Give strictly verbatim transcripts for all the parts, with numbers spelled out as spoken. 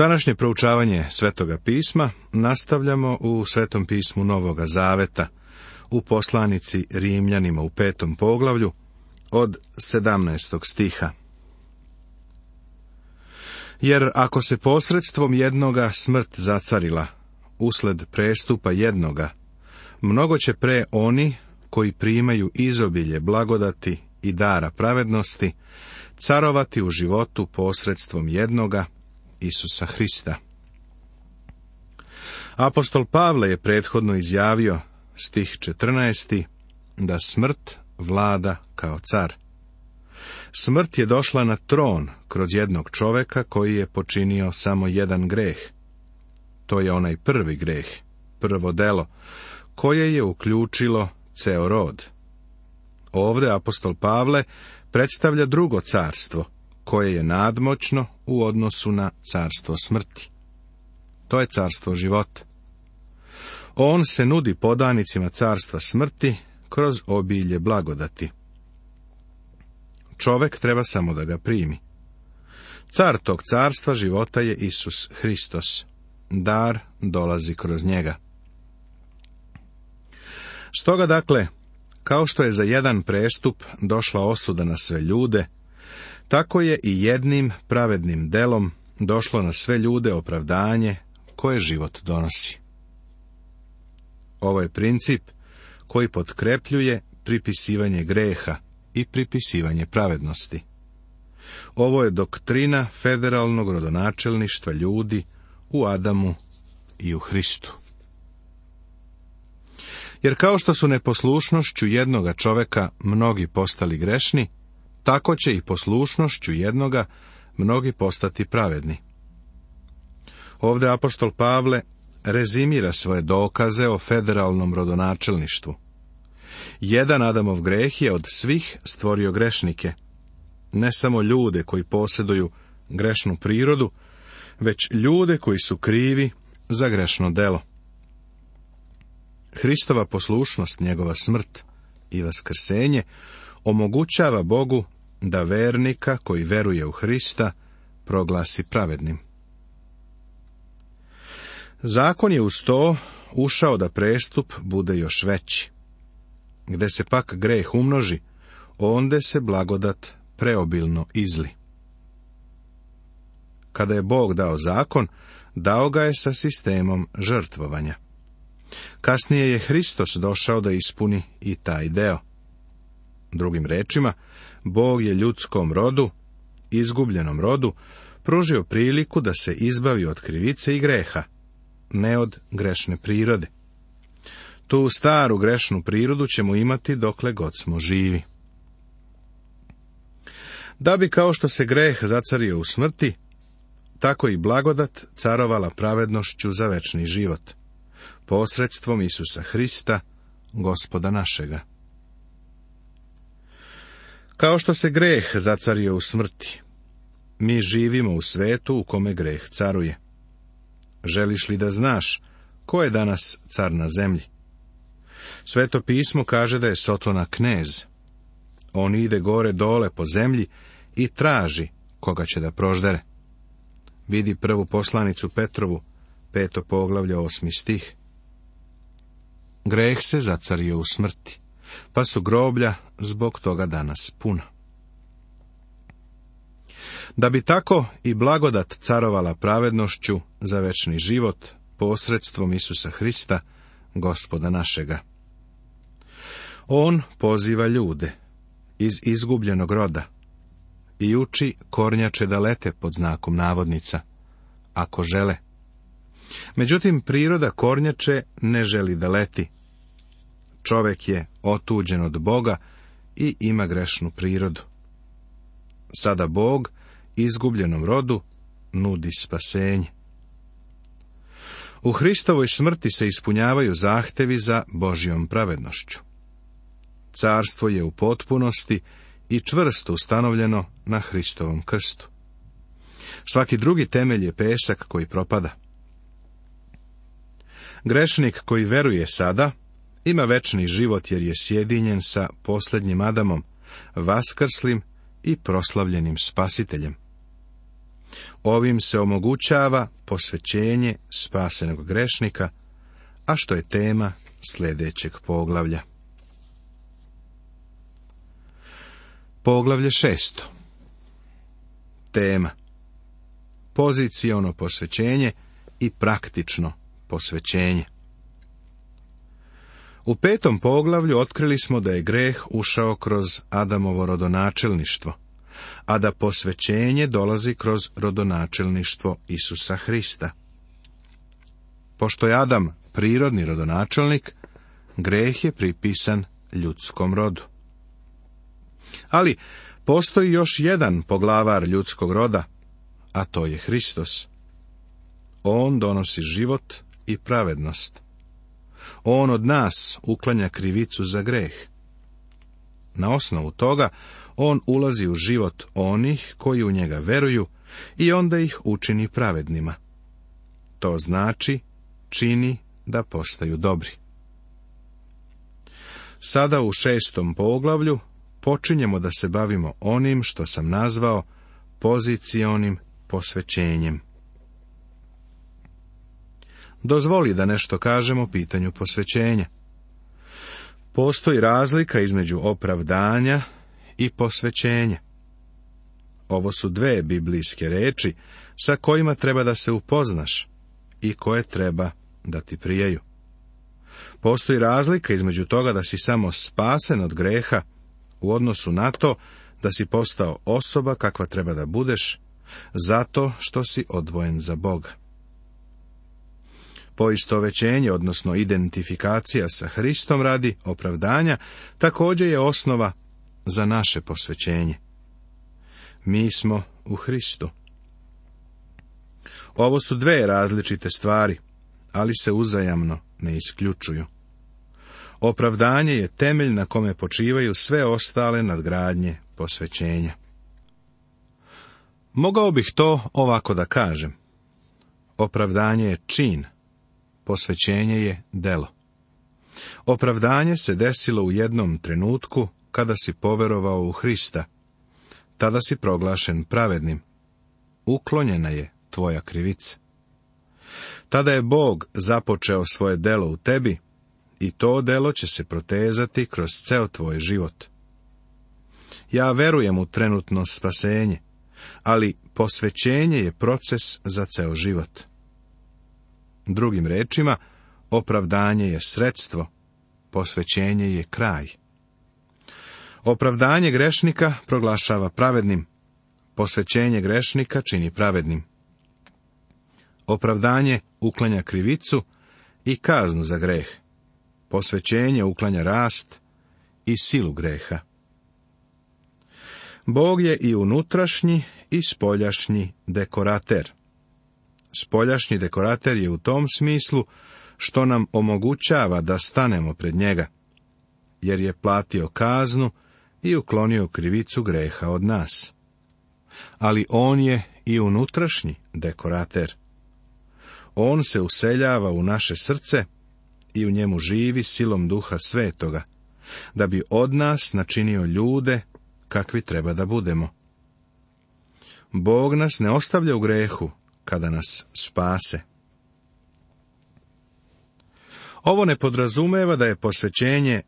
Današnje proučavanje Svetoga pisma nastavljamo u Svetom pismu Novoga Zaveta, u poslanici Rimljanima u petom poglavlju, od sedamnaestog stiha. Jer ako se posredstvom jednoga smrt zacarila, usled prestupa jednoga, mnogo će pre oni koji primaju izobilje blagodati i dara pravednosti, carovati u životu posredstvom jednoga, Isusa Hrista. Apostol Pavle je prethodno izjavio, stih četrnaesti, da smrt vlada kao car. Smrt je došla na tron kroz jednog čoveka koji je počinio samo jedan greh. To je onaj prvi greh, prvo delo, koje je uključilo ceo rod. Ovde apostol Pavle predstavlja drugo carstvo, koje je nadmoćno u odnosu na carstvo smrti. To je carstvo života. On se nudi podanicima carstva smrti kroz obilje blagodati. Čovek treba samo da ga primi. Car tog carstva života je Isus Hristos. Dar dolazi kroz njega. Stoga dakle, kao što je za jedan prestup došla osuda na sve ljude, tako je i jednim pravednim delom došlo na sve ljude opravdanje koje život donosi. Ovo je princip koji potkrepljuje pripisivanje greha i pripisivanje pravednosti. Ovo je doktrina federalnog rodonačelništva ljudi u Adamu i u Hristu. Jer kao što su neposlušnošću jednoga čoveka mnogi postali grešni, tako će i poslušnošću jednoga mnogi postati pravedni. Ovde apostol Pavle rezimira svoje dokaze o federalnom rodonačelništvu. Jedan Adamov greh je od svih stvorio grešnike, ne samo ljude koji posjeduju grešnu prirodu, već ljude koji su krivi za grešno delo. Hristova poslušnost, njegova smrt i vaskrsenje omogućava Bogu da vernika koji veruje u Hrista proglasi pravednim. Zakon je uz to ušao da prestup bude još veći. Gde se pak greh umnoži, onde se blagodat preobilno izli. Kada je Bog dao zakon, dao ga je sa sistemom žrtvovanja. Kasnije je Hristos došao da ispuni i taj deo. Drugim rečima, Bog je ljudskom rodu, izgubljenom rodu, pružio priliku da se izbavi od krivice i greha, ne od grešne prirode. Tu staru grešnu prirodu ćemo imati dokle god smo živi. Da bi kao što se greh zacario u smrti, tako i blagodat carovala pravednošću za večni život, posredstvom Isusa Hrista, Gospoda našega. Kao što se greh zacario u smrti, mi živimo u svetu u kome greh caruje. Želiš li da znaš ko je danas car na zemlji? Sveto pismo kaže da je Sotona knez. On ide gore dole po zemlji i traži koga će da proždere. Vidi prvu poslanicu Petrovu, peto poglavlje, osmi stih. Greh se zacario u smrti, pa su groblja zbog toga danas puna. Da bi tako i blagodat carovala pravednošću za večni život posredstvom Isusa Hrista, Gospoda našega. On poziva ljude iz izgubljenog roda i uči kornjače da lete pod znakom navodnica, ako žele. Međutim, priroda kornjače ne želi da leti. Čovek je otuđen od Boga i ima grešnu prirodu. Sada Bog izgubljenom rodu nudi spasenje. U Hristovoj smrti se ispunjavaju zahtevi za Božjom pravednošću. Carstvo je u potpunosti i čvrsto ustanovljeno na Hristovom krstu. Svaki drugi temelj je pesak koji propada. Grešnik koji veruje sada ima večni život jer je sjedinjen sa posljednjim Adamom, vaskrslim i proslavljenim Spasiteljem. Ovim se omogućava posvećenje spasenog grešnika, a što je tema sljedećeg poglavlja. Poglavlje šesto. Tema: poziciono posvećenje i praktično posvećenje. U petom poglavlju otkrili smo da je greh ušao kroz Adamovo rodonačelništvo, a da posvećenje dolazi kroz rodonačelništvo Isusa Hrista. Pošto je Adam prirodni rodonačelnik, greh je pripisan ljudskom rodu. Ali postoji još jedan poglavar ljudskog roda, a to je Hristos. On donosi život i pravednost. On od nas uklanja krivicu za greh. Na osnovu toga, on ulazi u život onih koji u njega veruju i onda ih učini pravednima. To znači, čini da postaju dobri. Sada u šestom poglavlju počinjemo da se bavimo onim što sam nazvao pozicionim posvećenjem. Dozvoli da nešto kažemo o pitanju posvećenja. Postoji razlika između opravdanja i posvećenja. Ovo su dve biblijske reči sa kojima treba da se upoznaš i koje treba da ti prijaju. Postoji razlika između toga da si samo spasen od greha u odnosu na to da si postao osoba kakva treba da budeš zato što si odvojen za Boga. Poistovećenje, odnosno identifikacija sa Hristom radi opravdanja, također je osnova za naše posvećenje. Mi smo u Hristu. Ovo su dve različite stvari, ali se uzajamno ne isključuju. Opravdanje je temelj na kome počivaju sve ostale nadgradnje posvećenja. Mogao bih to ovako da kažem. Opravdanje je čin, posvećenje je delo. Opravdanje se desilo u jednom trenutku kada si poverovao u Hrista. Tada si proglašen pravednim. Uklonjena je tvoja krivica. Tada je Bog započeo svoje delo u tebi i to delo će se protezati kroz ceo tvoj život. Ja verujem u trenutno spasenje, ali posvećenje je proces za ceo život. Drugim rečima, opravdanje je sredstvo, posvećenje je kraj. Opravdanje grešnika proglašava pravednim, posvećenje grešnika čini pravednim. Opravdanje uklanja krivicu i kaznu za greh. Posvećenje uklanja rast i silu greha. Bog je i unutrašnji i spoljašnji dekorater. Spoljašnji dekorater je u tom smislu što nam omogućava da stanemo pred njega, jer je platio kaznu i uklonio krivicu greha od nas. Ali on je i unutrašnji dekorater. On se useljava u naše srce i u njemu živi silom Duha Svetoga, da bi od nas načinio ljude kakvi treba da budemo. Bog nas ne ostavlja u grehu kada nas spase. Ovo ne podrazumeva da je posvećenje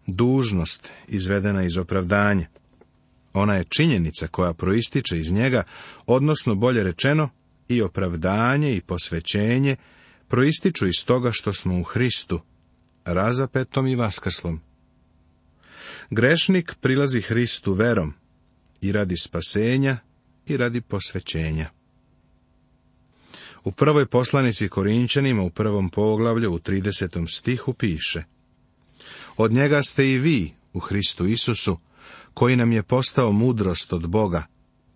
dužnost izvedena iz opravdanja. Ona je činjenica koja proističe iz njega, odnosno bolje rečeno, i opravdanje i posvećenje proističu iz toga što smo u Hristu, razapetom i vaskrslom. Grešnik prilazi Hristu verom i radi spasenja i radi posvećenja. U prvoj poslanici Korinćanima u prvom poglavlju u tridesetom stihu piše: Od njega ste i vi u Hristu Isusu, koji nam je postao mudrost od Boga,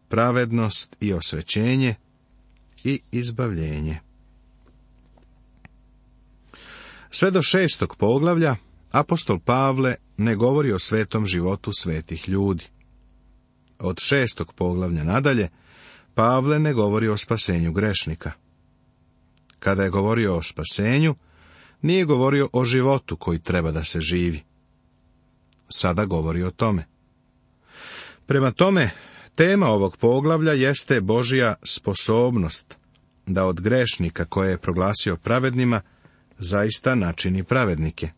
pravednost i osvećenje i izbavljenje. Sve do šestog poglavlja apostol Pavle ne govori o svetom životu svetih ljudi. Od šestog poglavlja nadalje Pavle ne govori o spasenju grešnika. Kada je govorio o spasenju, nije govorio o životu koji treba da se živi. Sada govori o tome. Prema tome, Tema ovog poglavlja jeste Božja sposobnost da od grešnika koje je proglasio pravednima zaista načini pravednike.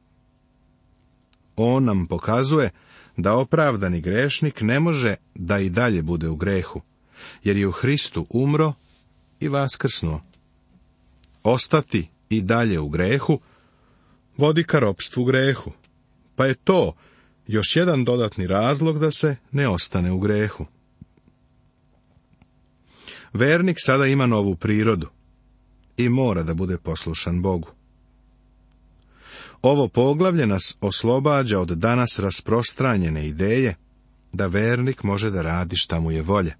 On nam pokazuje da opravdani grešnik ne može da i dalje bude u grehu, jer je u Hristu umro i vaskrsnuo. Ostati i dalje u grehu vodi ka ropstvu grehu, pa je to još jedan dodatni razlog da se ne ostane u grehu. Vernik sada ima novu prirodu i mora da bude poslušan Bogu. Ovo poglavlje nas oslobađa od danas rasprostranjene ideje da vernik može da radi šta mu je volja.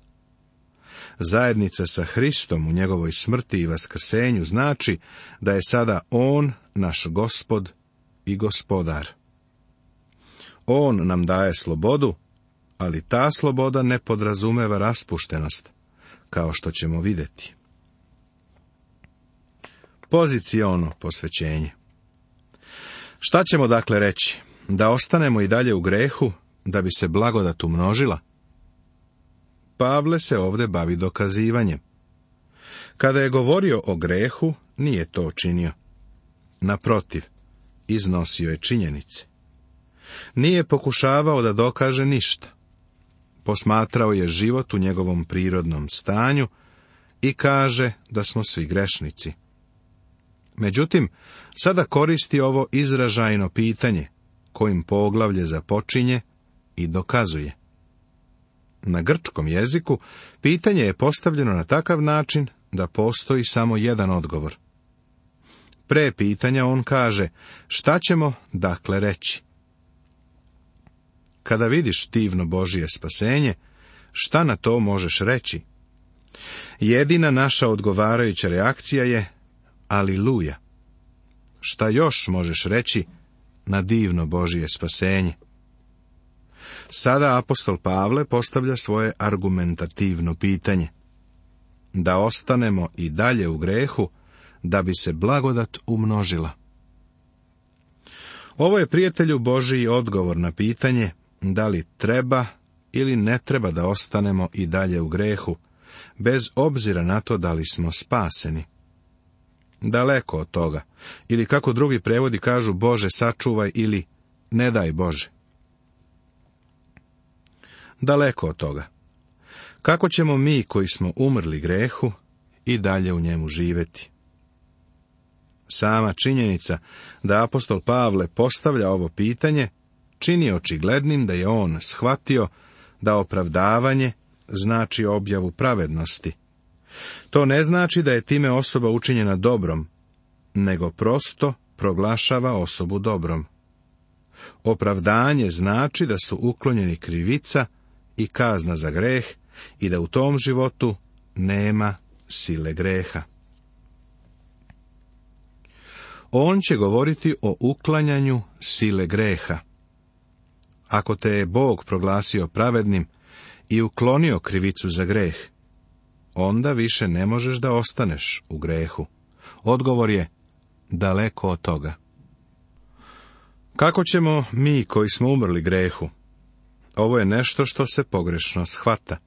Zajednica sa Hristom u njegovoj smrti i vaskrsenju znači da je sada On naš Gospod i Gospodar. On nam daje slobodu, ali ta sloboda ne podrazumeva raspuštenost, kao što ćemo vidjeti. Poziciono posvećenje. Šta ćemo dakle reći? Da ostanemo i dalje u grehu, da bi se blagodat umnožila? Pavle se ovdje bavi dokazivanjem. Kada je govorio o grehu, nije to činio. Naprotiv, iznosio je činjenice. Nije pokušavao da dokaže ništa. Posmatrao je život u njegovom prirodnom stanju i kaže da smo svi grešnici. Međutim, sada koristi ovo izražajno pitanje, kojim poglavlje započinje i dokazuje. Na grčkom jeziku pitanje je postavljeno na takav način da postoji samo jedan odgovor. Pre pitanja on kaže, šta ćemo dakle reći? Kada vidiš divno Božje spasenje, šta na to možeš reći? Jedina naša odgovarajuća reakcija je Aliluja. Šta još možeš reći na divno Božje spasenje? Sada apostol Pavle postavlja svoje argumentativno pitanje. Da ostanemo i dalje u grehu, da bi se blagodat umnožila. Ovo je, prijatelju Božji, odgovor na pitanje da li treba ili ne treba da ostanemo i dalje u grehu, bez obzira na to da li smo spaseni. Daleko od toga, ili kako drugi prevodi kažu, Bože sačuvaj ili ne daj Bože. Daleko od toga. Kako ćemo mi koji smo umrli grehu i dalje u njemu živjeti? Sama činjenica da apostol Pavle postavlja ovo pitanje čini očiglednim da je on shvatio da opravdavanje znači objavu pravednosti. To ne znači da je time osoba učinjena dobrom, nego prosto proglašava osobu dobrom. Opravdanje znači da su uklonjeni krivica i kazna za greh i da u tom životu nema sile greha. On će govoriti o uklanjanju sile greha. Ako te je Bog proglasio pravednim i uklonio krivicu za greh, onda više ne možeš da ostaneš u grehu. Odgovor je daleko od toga. Kako ćemo mi koji smo umrli grehu? Ovo je nešto što se pogrešno shvata.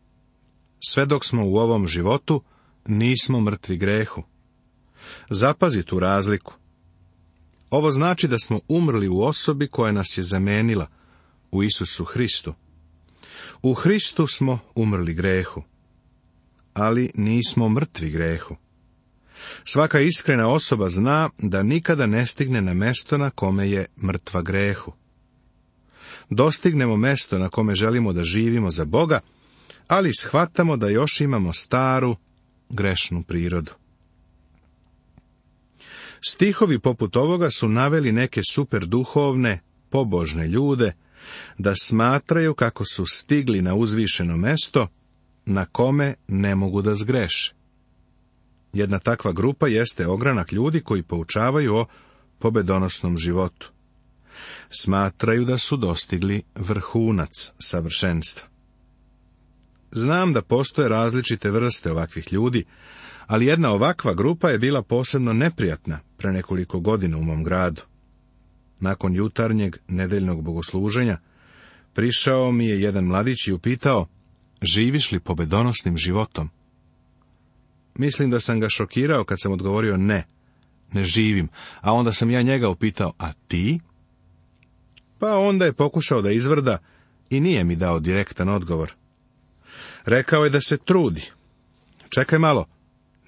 Sve dok smo u ovom životu, nismo mrtvi grehu. Zapazi tu razliku. Ovo znači da smo umrli u osobi koja nas je zamenila, u Isusu Hristu. U Hristu smo umrli grehu, ali nismo mrtvi grehu. Svaka iskrena osoba zna da nikada ne stigne na mesto na kome je mrtva grehu. Dostignemo mesto na kome želimo da živimo za Boga, ali shvatamo da još imamo staru, grešnu prirodu. Stihovi poput ovoga su naveli neke superduhovne, pobožne ljude da smatraju kako su stigli na uzvišeno mesto na kome ne mogu da zgreše. Jedna takva grupa jeste ogranak ljudi koji poučavaju o pobedonosnom životu. Smatraju da su dostigli vrhunac savršenstva. Znam da postoje različite vrste ovakvih ljudi, ali jedna ovakva grupa je bila posebno neprijatna pre nekoliko godina u mom gradu. Nakon jutarnjeg nedeljnog bogosluženja prišao mi je jedan mladić i upitao živiš li pobedonosnim životom? Mislim da sam ga šokirao kad sam odgovorio ne, ne živim, a onda sam ja njega upitao, a ti? Pa onda je pokušao da izvrda i nije mi dao direktan odgovor. Rekao je da se trudi. Čekaj malo,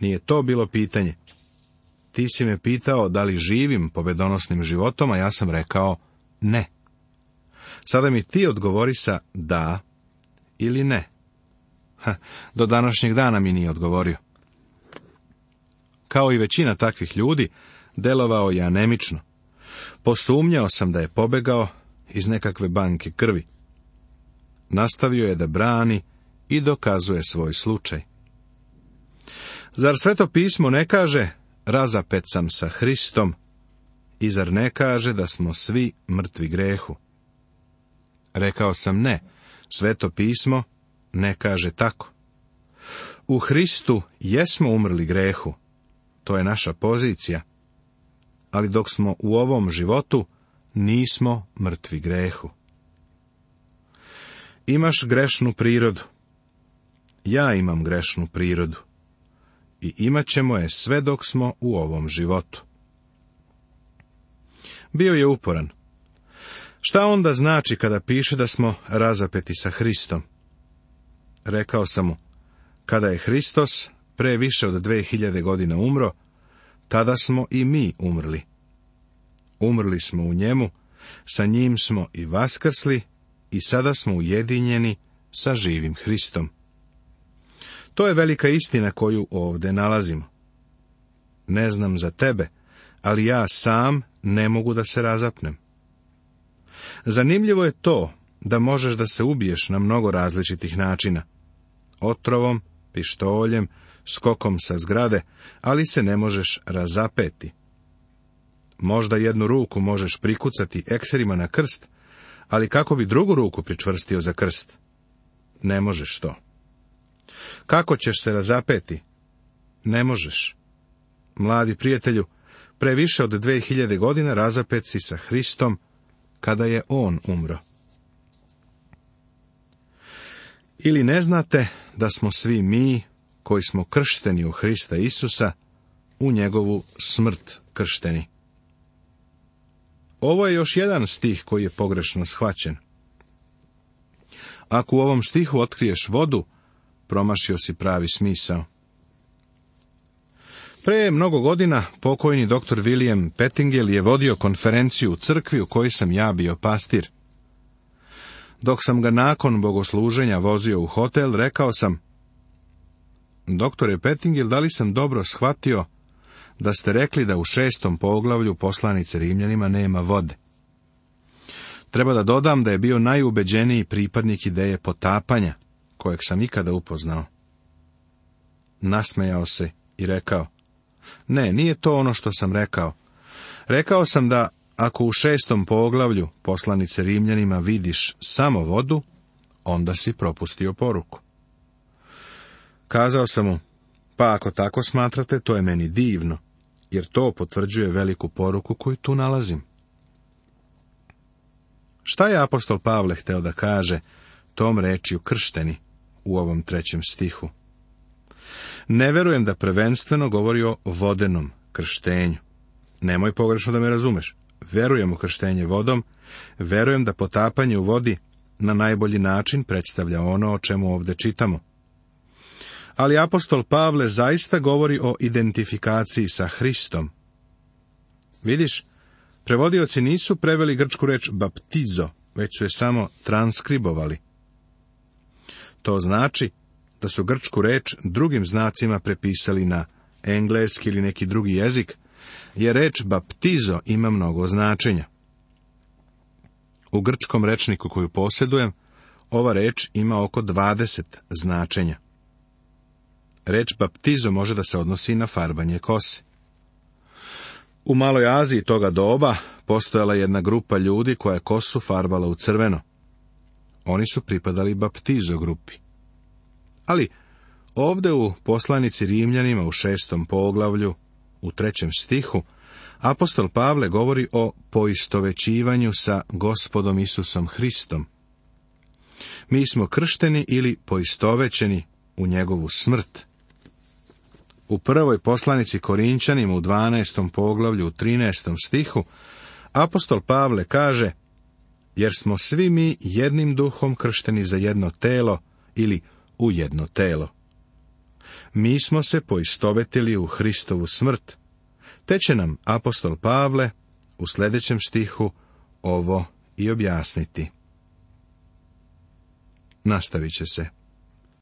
nije to bilo pitanje. Ti si me pitao da li živim pobedonosnim životom, a ja sam rekao ne. Sada mi ti odgovori sa da ili ne. Ha, do današnjeg dana mi nije odgovorio. Kao i većina takvih ljudi, delovao je anemično. Posumnjao sam da je pobegao iz nekakve banke krvi. Nastavio je da brani i dokazuje svoj slučaj. Zar Sveto pismo ne kaže, razapet sam sa Hristom, i zar ne kaže da smo svi mrtvi grehu? Rekao sam ne, Sveto pismo ne kaže tako. U Hristu jesmo umrli grehu, to je naša pozicija, ali dok smo u ovom životu, nismo mrtvi grehu. Imaš grešnu prirodu. Ja imam grešnu prirodu. I imat ćemo je sve dok smo u ovom životu. Bio je uporan. Šta onda znači kada piše da smo razapeti sa Hristom? Rekao sam mu, kada je Hristos pre više od dve hiljade godina umro, tada smo i mi umrli. Umrli smo u njemu, sa njim smo i vaskrsli i sada smo ujedinjeni sa živim Hristom. To je velika istina koju ovdje nalazimo. Ne znam za tebe, ali ja sam ne mogu da se razapnem. Zanimljivo je to da možeš da se ubiješ na mnogo različitih načina. Otrovom, pištoljem, skokom sa zgrade, ali se ne možeš razapeti. Možda jednu ruku možeš prikucati ekserima na krst, ali kako bi drugu ruku pričvrstio za krst? Ne možeš to. Kako ćeš se razapeti? Ne možeš. Mladi prijatelju, pre više od dve hiljade godina razapet si sa Hristom, kada je On umro. Ili ne znate da smo svi mi, koji smo kršteni u Hrista Isusa, u njegovu smrt kršteni? Ovo je još jedan stih koji je pogrešno shvaćen. Ako u ovom stihu otkriješ vodu, promašio si pravi smisao. Pre mnogo godina pokojni doktor William Pettingill je vodio konferenciju u crkvi u kojoj sam ja bio pastir. Dok sam ga nakon bogosluženja vozio u hotel, rekao sam, doktore Pettingill, da li sam dobro shvatio da ste rekli da u šestom poglavlju poslanice Rimljanima nema vode? Treba da dodam da je bio najubeđeniji pripadnik ideje potapanja, kojeg sam ikada upoznao. Nasmejao se i rekao, ne, nije to ono što sam rekao. Rekao sam da ako u šestom poglavlju poslanice Rimljanima vidiš samo vodu, onda si propustio poruku. Kazao sam mu, pa ako tako smatrate, to je meni divno, jer to potvrđuje veliku poruku koju tu nalazim. Šta je apostol Pavle hteo da kaže tom rečju kršteni u ovom trećem stihu? Ne verujem da prvenstveno govori o vodenom krštenju. Nemoj pogrešno da me razumeš. Verujem u krštenje vodom, verujem da potapanje u vodi na najbolji način predstavlja ono o čemu ovdje čitamo. Ali apostol Pavle zaista govori o identifikaciji sa Hristom. Vidiš, prevodioci nisu preveli grčku reč baptizo, već su je samo transkribovali. To znači da su grčku reč drugim znacima prepisali na engleski ili neki drugi jezik, jer reč baptizo ima mnogo značenja. U grčkom rečniku koju posjedujem, ova reč ima oko dvadeset značenja. Reč baptizo može da se odnosi na farbanje kose. U Maloj Aziji toga doba postojala jedna grupa ljudi koja je kosu farbala u crveno. Oni su pripadali baptizo grupi. Ali ovdje u poslanici Rimljanima u šestom poglavlju, u trećem stihu, apostol Pavle govori o poistovećivanju sa Gospodom Isusom Hristom. Mi smo kršteni ili poistovećeni u njegovu smrt. U prvoj poslanici Korinćanima u dvanaestom poglavlju u trinaestom stihu apostol Pavle kaže: jer smo svi mi jednim duhom kršteni za jedno telo ili u jedno telo. Mi smo se poistovetili u Hristovu smrt, te će nam apostol Pavle u sljedećem stihu ovo i objasniti. Nastavit će se.